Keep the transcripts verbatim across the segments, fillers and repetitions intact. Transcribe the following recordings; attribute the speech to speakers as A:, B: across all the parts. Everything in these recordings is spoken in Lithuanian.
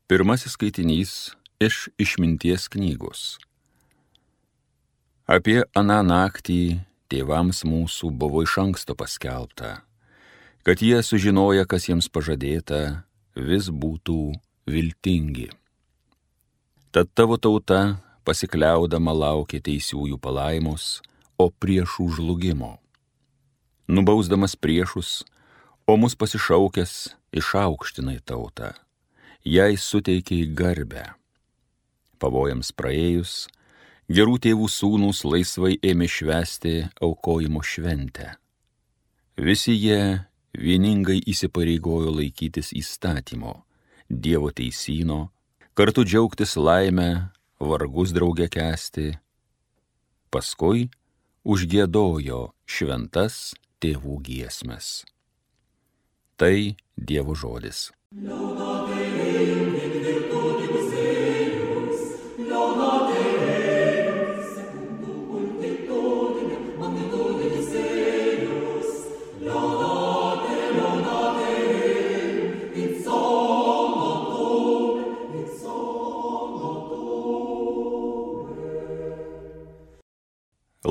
A: Pirmasis skaitinys iš Išminties knygos. Apie aną naktį tėvams mūsų buvo iš anksto paskelbta, kad jie sužinoja, kas jiems pažadėta, vis būtų viltingi. Tad tavo tauta pasikliaudama laukia teisiųjų palaimos, o priešų žlugimo. Nubausdamas priešus, o mus pasišaukęs išaukštinai tautą, jai suteikiai garbę. Pavojams praėjus, gerų tėvų sūnūs laisvai ėmė švęsti aukojimo šventę. Visi jie vieningai įsipareigojo laikytis įstatymo, Dievo teisyno, kartu džiaugtis laimę, vargus drauge kęsti. Paskui užgiedojo šventas tėvų giesmes. Tai Dievo žodis.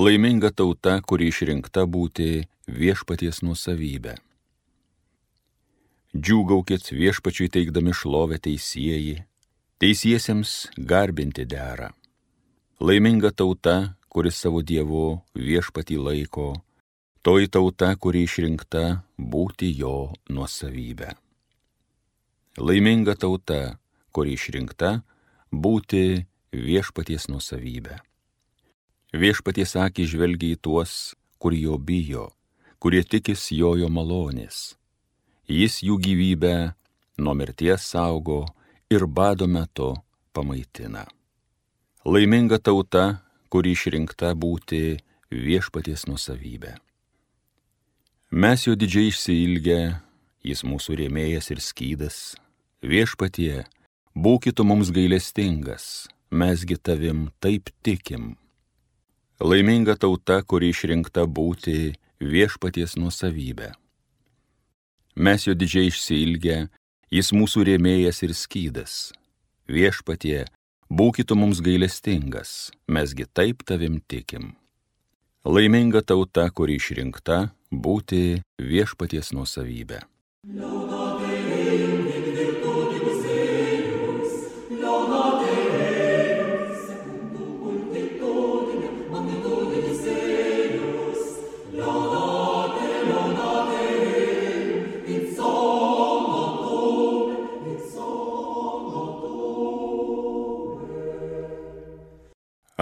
A: Laiminga tauta, kuri išrinkta būti viešpaties nuosavybė. Džiūgaukit viešpačiui teikdami šlovę teisieji, teisiesiems garbinti dera. Laiminga tauta, kuri savo Dievu viešpatį laiko, toji tauta, kuri išrinkta būti jo nuosavybė. Laiminga tauta, kuri išrinkta būti viešpaties nuosavybė. Viešpaties akys žvelgia į tuos, kur jo bijo, kurie tikis jojo malonės. Jis jų gyvybę nuo mirties saugo ir bado metu pamaitina. Laiminga tauta, kuri išrinkta būti viešpaties nuosavybė. Mes jo didžiai išsiilgę, jis mūsų rėmėjas ir skydas. Viešpatie, būki tu mums gailestingas, mesgi tavim taip tikim. Laiminga tauta, kuri išrinkta būti viešpaties nuosavybė. Mes jo didžiai išsiilgę, jis mūsų rėmėjas ir skydas. Viešpatie, būki tu mums gailestingas, mesgi taip tavim tikim. Laiminga tauta, kuri išrinkta būti viešpaties nuosavybė.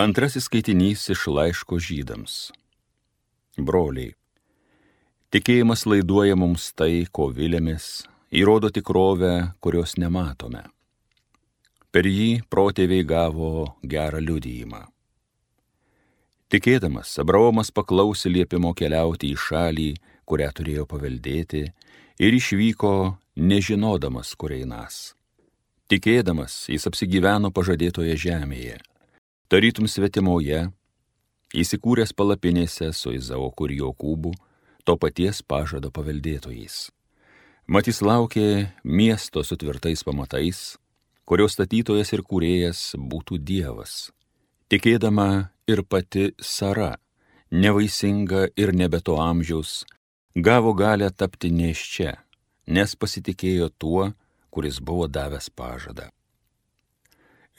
A: Antrasis skaitinys iš laiško Žydams. Broliai, tikėjimas laiduoja mums tai, ko vilėmės, įrodo tikrovę, kurios nematome. Per jį protėviai gavo gerą liudijimą. Tikėdamas, Abraomas paklausė liepimo keliauti į šalį, kurią turėjo paveldėti, ir išvyko nežinodamas, kur einas. Tikėdamas, jis apsigyveno pažadėtoje žemėje. Tarytum svetimoje, įsikūręs palapinėse su Izaoku ir Jokūbu, to paties pažado paveldėtojais. Mat jis laukė miesto su tvirtais pamatais, kurio statytojas ir kūrėjas būtų Dievas. Tikėdama ir pati Sara, nevaisinga ir nebe to amžiaus, gavo galią tapti nėščia, nes pasitikėjo tuo, kuris buvo davęs pažadą.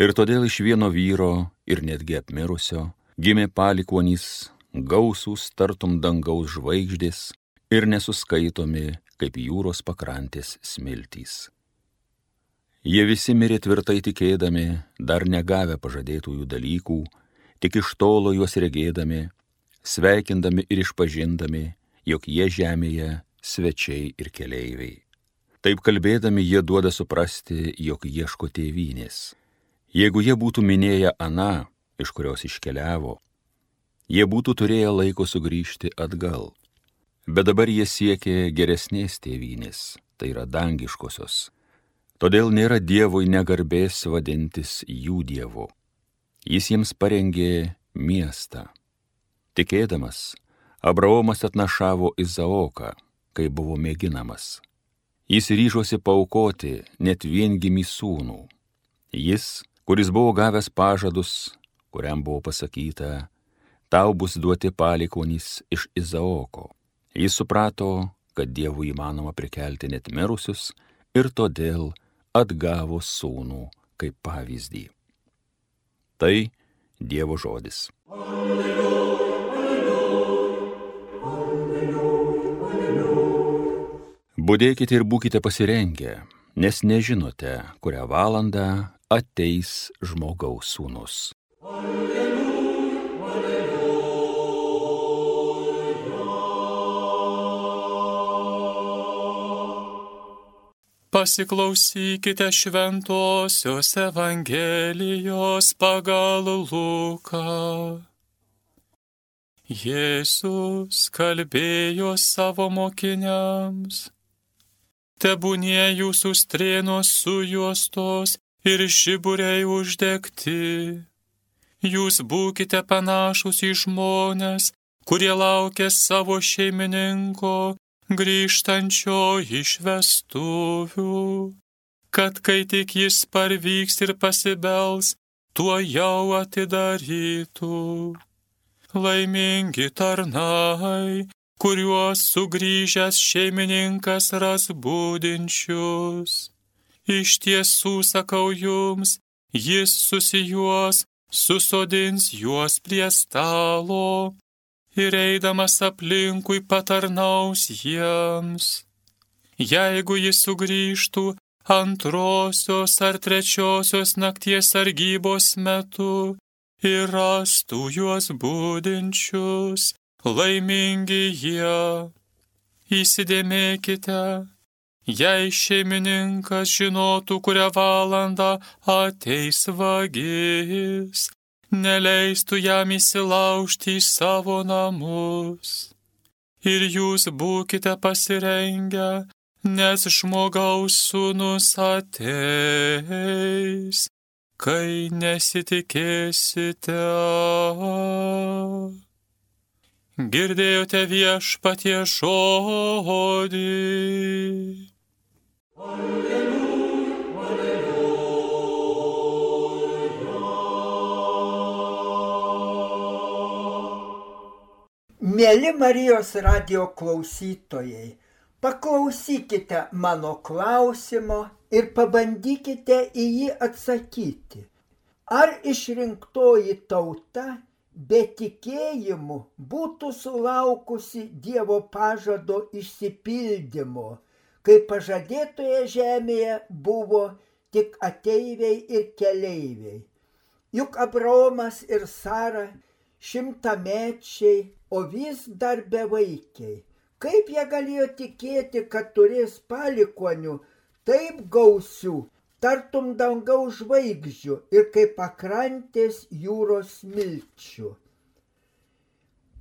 A: Ir todėl iš vieno vyro ir netgi apmirusio gimė palikuonys, gausūs tartum dangaus žvaigždės ir nesuskaitomi kaip jūros pakrantės smiltys. Jie visi mirė tvirtai tikėdami, dar negavę pažadėtųjų dalykų, tik iš tolo juos regėdami, sveikindami ir išpažindami, jog jie žemėje svečiai ir keleiviai. Taip kalbėdami jie duoda suprasti, jog ieško tėvynės. Jeigu jie būtų minėję aną, iš kurios iškeliavo, jie būtų turėję laiko sugrįžti atgal. Bet dabar jie siekė geresnės tėvynės, tai yra dangiškosios. Todėl nėra Dievui negarbės vadintis jų Dievu. Jis jiems parengė miestą. Tikėdamas, Abraomas atnašavo Izaoką, kai buvo mėginamas. Jis ryžosi paaukoti net viengimį sūnų, Jis, kuris buvo gavęs pažadus, kuriam buvo pasakyta, tau bus duoti palikuonys iš Izaoko. Jis suprato, kad Dievui įmanoma prikelti net mirusius ir todėl atgavo sūnų kaip pavyzdį. Tai Dievo žodis. Alleluja, alleluja, alleluja, alleluja. Budėkite ir būkite pasirengę, nes nežinote, kurią valandą ateis žmogaus sūnus. Alleluja, alleluja.
B: Pasiklausykite Šventosios Evangelijos pagal Luką. Jėzus kalbėjo savo mokiniams: tebūnie jūsų strėnos sujuostos ir žiburiai uždegti. Jūs būkite panašus į žmones, kurie laukia savo šeimininko grįžtančio iš vestuvių, kad kai tik jis parvyks ir pasibels, tuo jau atidarytų. Laimingi tarnai, kuriuos sugrįžęs šeimininkas ras budinčius. Iš tiesų sakau jums, jis susijuos, susodins juos prie stalo ir eidamas aplinkui patarnaus jiems. Jeigu jis sugrįžtų antrosios ar trečiosios nakties sargybos metu ir rastų juos budinčius, laimingi jie. Įsidėmėkite, jei šeimininkas žinotų, kurią valandą ateis vagis, neleistų jam įsilaužti į savo namus. Ir jūs būkite pasirengę, nes žmogaus sūnus ateis, kai nesitikėsite. Girdėjote Viešpaties žodį. Alleluja, alleluja.
C: Mieli Marijos radijo klausytojai, paklausykite mano klausimo ir pabandykite į jį atsakyti. Ar išrinktoji tauta be tikėjimų būtų sulaukusi Dievo pažado išsipildymo, kai pažadėtoje žemėje buvo tik ateiviai ir keleiviai? Juk Abraomas ir Sara šimtamečiai, o vis dar bevaikiai. Kaip jie galėjo tikėti, kad turės palikuonių taip gausių, tartum dangaus žvaigždžių ir kaip pakrantės jūros smilčių?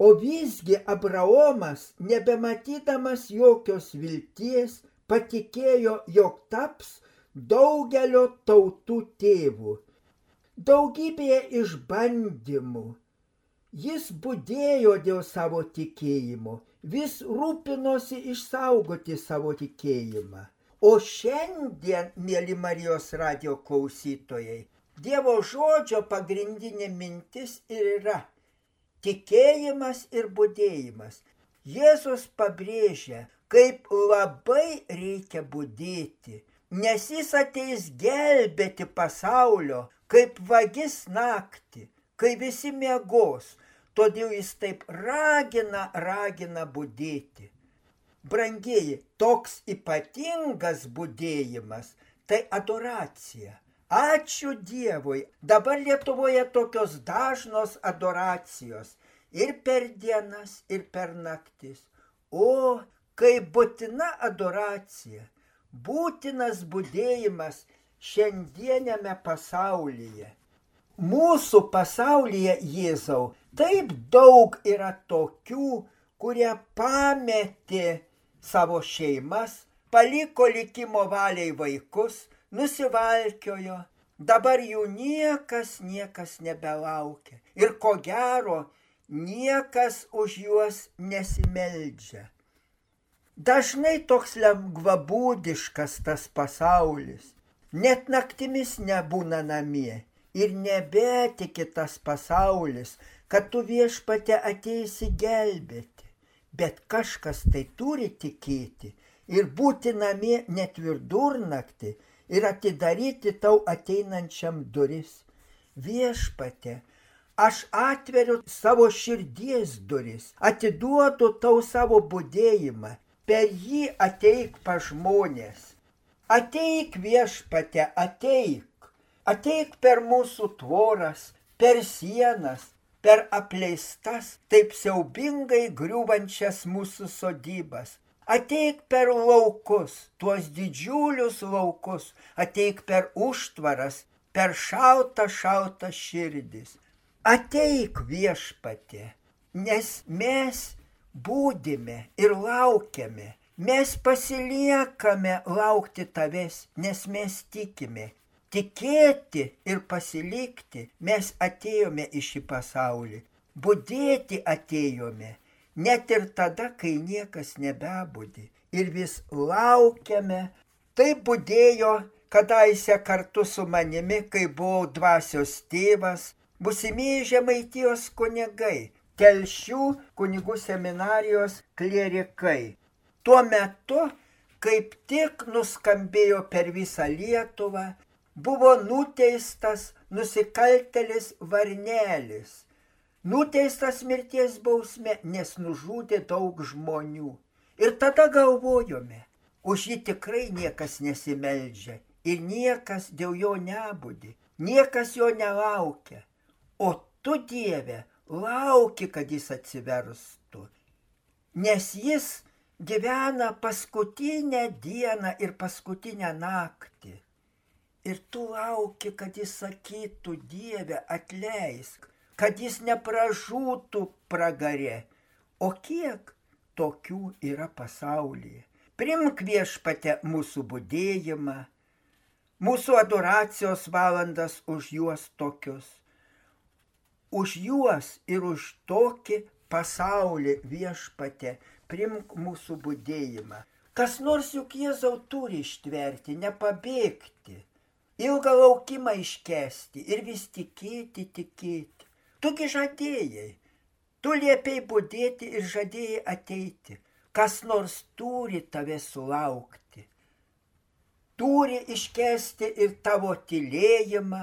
C: O visgi Abraomas, nebematydamas jokios vilties, patikėjo, jog taps daugelio tautų tėvu. Daugybėje išbandymų jis budėjo dėl savo tikėjimo, vis rūpinosi išsaugoti savo tikėjimą. O šiandien, mieli Marijos radijo klausytojai, Dievo žodžio pagrindinė mintis ir yra tikėjimas ir budėjimas. Jėzus pabrėžia, kaip labai reikia budėti, nes jis ateis gelbėti pasaulio, kaip vagis naktį, kai visi miegos, todėl jis taip ragina, ragina budėti. Brangieji, toks ypatingas budėjimas – tai adoracija. Ačiū Dievui, dabar Lietuvoje tokios dažnos adoracijos ir per dienas, ir per naktis. O, kaip būtina adoracija, būtinas budėjimas šiandieniame pasaulyje. Mūsų pasaulyje, Jėzau, taip daug yra tokių, kurie pametė savo šeimas, paliko likimo valiai vaikus, nusivalkiojo, dabar jų niekas, niekas nebelaukia. Ir ko gero, niekas už juos nesimeldžia. Dažnai toks lengvabūdiškas tas pasaulis. net naktimis nebūna namie ir nebetiki tas pasaulis, kad tu Viešpatie ateisi gelbėti. Bet kažkas tai turi tikėti ir būti namie net vidurnaktį ir atidaryti tau ateinančiam duris. Viešpatie, aš atveriu savo širdies duris, atiduodu tau savo budėjimą, per jį ateik pa žmonės. Ateik Viešpatie, ateik, ateik per mūsų tvoras, per sienas, per apleistas, taip siaubingai griūvančias mūsų sodybas. Ateik per laukus, tuos didžiulius laukus, ateik per užtvaras, per šaltą, šaltą širdis. Ateik Viešpatie, nes mes būdime ir laukiame, mes pasiliekame laukti tavęs, nes mes tikime. Tikėti ir pasilikti mes atėjome į šį pasaulį, budėti atėjome, net ir tada, kai niekas nebebudi. Ir vis laukiame. Taip budėjo kadaise kartu su manimi, kai buvau dvasios tėvas, būsimieji Žemaitijos kunigai, Telšių kunigų seminarijos klierikai. Tuo metu, kaip tik nuskambėjo per visą Lietuvą, buvo nuteistas nusikaltėlis Varnelis. Nuteistas mirties bausme, nes nužudė daug žmonių. Ir tada galvojome, už jį tikrai niekas nesimeldžia ir niekas dėl jo nebudi, niekas jo nelaukia. O tu, Dieve, lauki, kad jis atsiverstų, nes jis gyvena paskutinę dieną ir paskutinę naktį. Ir tu lauki, kad jis sakytų, Dieve, atleisk, kad jis nepražūtų pragare. O kiek tokių yra pasaulyje? Primk Viešpatie mūsų budėjimą, mūsų adoracijos valandas už juos tokius. Už juos ir už tokį pasaulį Viešpatie primk mūsų budėjimą. Kas nors juk Jėzau turi ištverti, nepabėgti. Ilgą laukimą iškesti ir vis tikėti, tikėti. Tugi žadėjai, tu liepei budėti ir žadėjai ateiti. Kas nors turi tave sulaukti. Turi iškesti ir tavo tylėjimą,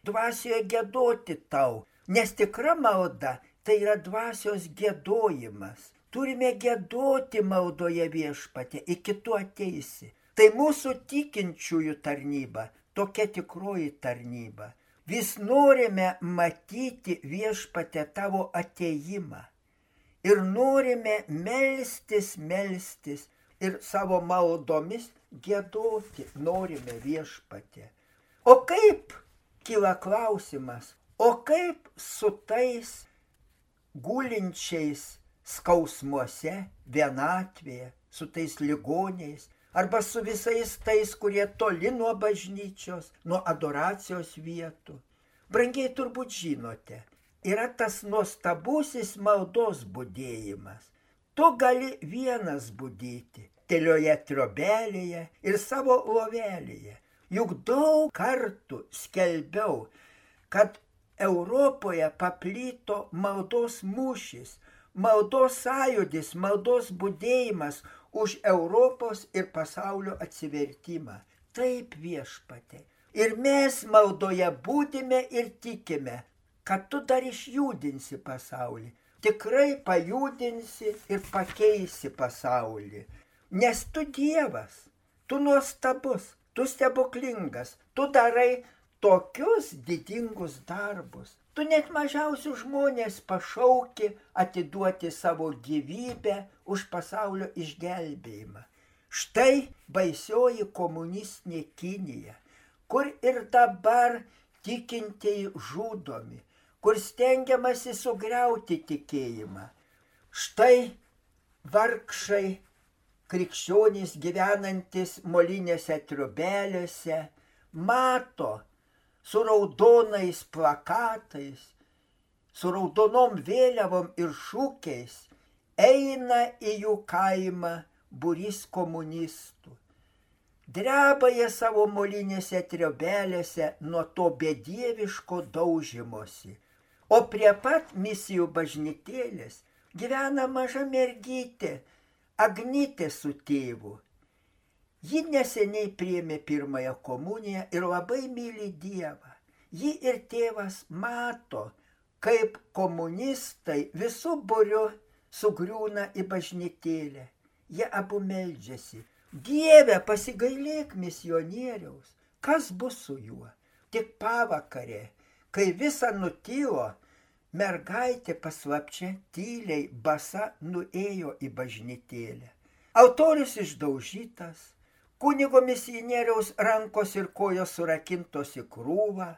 C: dvasioje giedoti tau, nes tikra malda tai yra dvasios giedojimas. Turime giedoti maldoje Viešpatie, iki tu ateisi. Tai mūsų tikinčiųjų tarnyba. Tokia tikroji tarnyba. Vis norime matyti Viešpatie tavo atėjimą. Ir norime melstis, melstis ir savo maldomis giedoti norime Viešpatie. O kaip, kyla klausimas, o kaip su tais gulinčiais skausmuose, vienatvėje, su tais ligoniais, arba su visais tais, kurie toli nuo bažnyčios, nuo adoracijos vietų. Brangiai turbūt žinote, yra tas nuostabusis maldos budėjimas. Tu gali vienas budėti, tylioje trobelėje ir savo lovelėje. Juk daug kartų skelbiau, kad Europoje paplyto maldos mūšis, maldos sąjūdis, maldos budėjimas už Europos ir pasaulio atsivertimą. Taip, Viešpatie. Ir mes maldoje būdime ir tikime, kad tu dar išjudinsi pasaulį. Tikrai pajudinsi ir pakeisi pasaulį. Nes tu Dievas, tu nuostabus, tu stebuklingas, tu darai tokius didingus darbus. Tu net mažiausius žmonės pašauki atiduoti savo gyvybę už pasaulio išgelbėjimą. Štai baisioji komunistinė Kinija, kur ir dabar tikintieji žudomi, kur stengiamasi sugriauti tikėjimą. Štai vargšai krikščionys gyvenantis molinėse triobelėse mato su raudonais plakatais, su raudonom vėliavom ir šūkiais, eina į jų kaimą būrys komunistų. Dreba jie savo molinėse triobelėse nuo to bedieviško daužymosi. O prie pat misijų bažnytėlės gyvena maža mergytė, Agnytė su tėvu. Ji neseniai priėmė pirmąją komuniją ir labai myli Dievą. Ji ir tėvas mato, kaip komunistai visų būriu sugriūna į bažnytėlę. Jie abu meldžiasi. Dieve, pasigailėk misionieriaus, kas bus su juo? Tik pavakarė, kai visa nutilo, mergaitė paslapčia tyliai basa nuėjo į bažnytėlę. Altorius išdaužytas, kunigo misionieriaus rankos ir kojos surakintos į krūvą,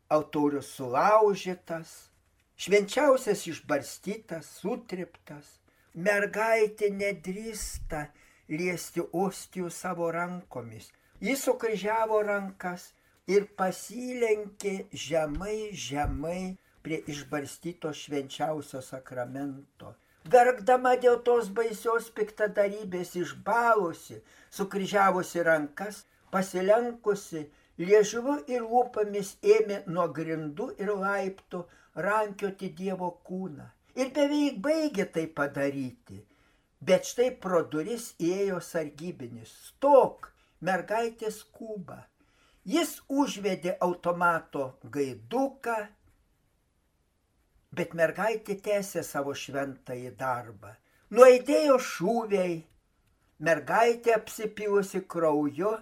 C: altorius sulaužytas, švenčiausias išbarstytas, sutriptas. Mergaitė nedrįsta liesti ostijų savo rankomis. Jis sukryžiavo rankas ir pasilenkė žemai, žemai prie išbarstyto švenčiausio sakramento. Verkdama dėl tos baisios piktadarybės išbalusi, sukryžiavusi rankas, pasilenkusi, liežuviu ir lūpomis ėmė nuo grindų ir laiptų rankioti Dievo kūną. Ir beveik baigė tai padaryti. Bet štai pro duris įėjo sargybinis. Stok, mergaitė skuba. Jis užvedė automato gaiduką, bet mergaitė tęsė savo šventąjį darbą. Nuaidėjo šūviai, mergaitė apsipilusi krauju,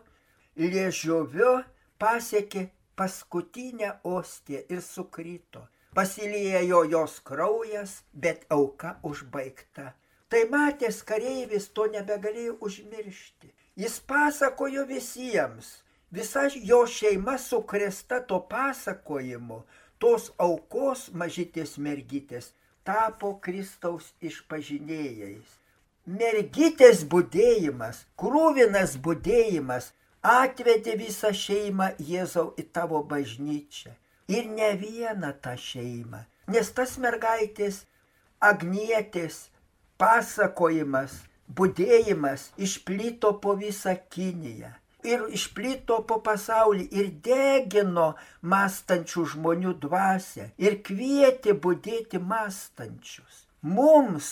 C: liežuviu pasiekė paskutinę ostiją ir sukrito. Pasiliejo jos kraujas, bet auka užbaigta. Tai matęs kareivis to nebegalėjo užmiršti. Jis pasakojo visiems. Visa jo šeima sukrėsta to pasakojimu, tos aukos mažytės mergytės, tapo Kristaus išpažinėjais. Mergytės budėjimas, krūvinas budėjimas atvedė visą šeimą Jėzau į tavo bažnyčią. Ir ne vieną tą šeimą, nes tas mergaitės Agnietės pasakojimas, budėjimas išplito po visą Kiniją. Ir išplito po pasaulį ir degino mąstančių žmonių dvasią ir kvietė budėti mąstančius. Mums,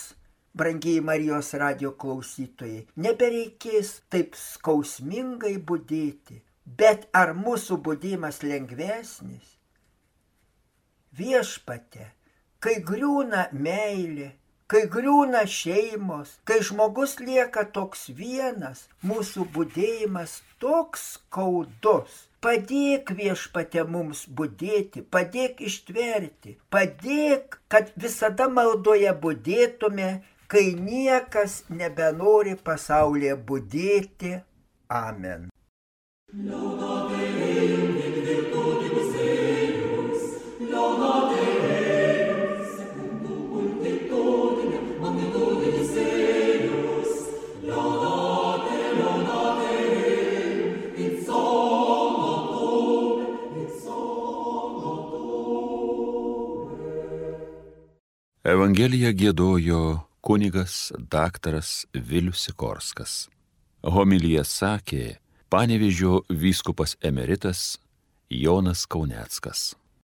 C: brangiai Marijos radijo klausytojai, nebereikės taip skausmingai budėti, bet ar mūsų budėjimas lengvesnis? Viešpatie, kai griūna meilė, kai griūna šeimos, kai žmogus lieka toks vienas, mūsų budėjimas toks skaudus. Padėk Viešpatie mums budėti, padėk ištverti, padėk, kad visada maldoje budėtume, kai niekas nebenori pasaulyje budėti. Amen.
A: Evangeliją giedojo kunigas daktaras Vilius Sikorskas. Homiliją sakė Panevėžio vyskupas emeritas Jonas Kauneckas.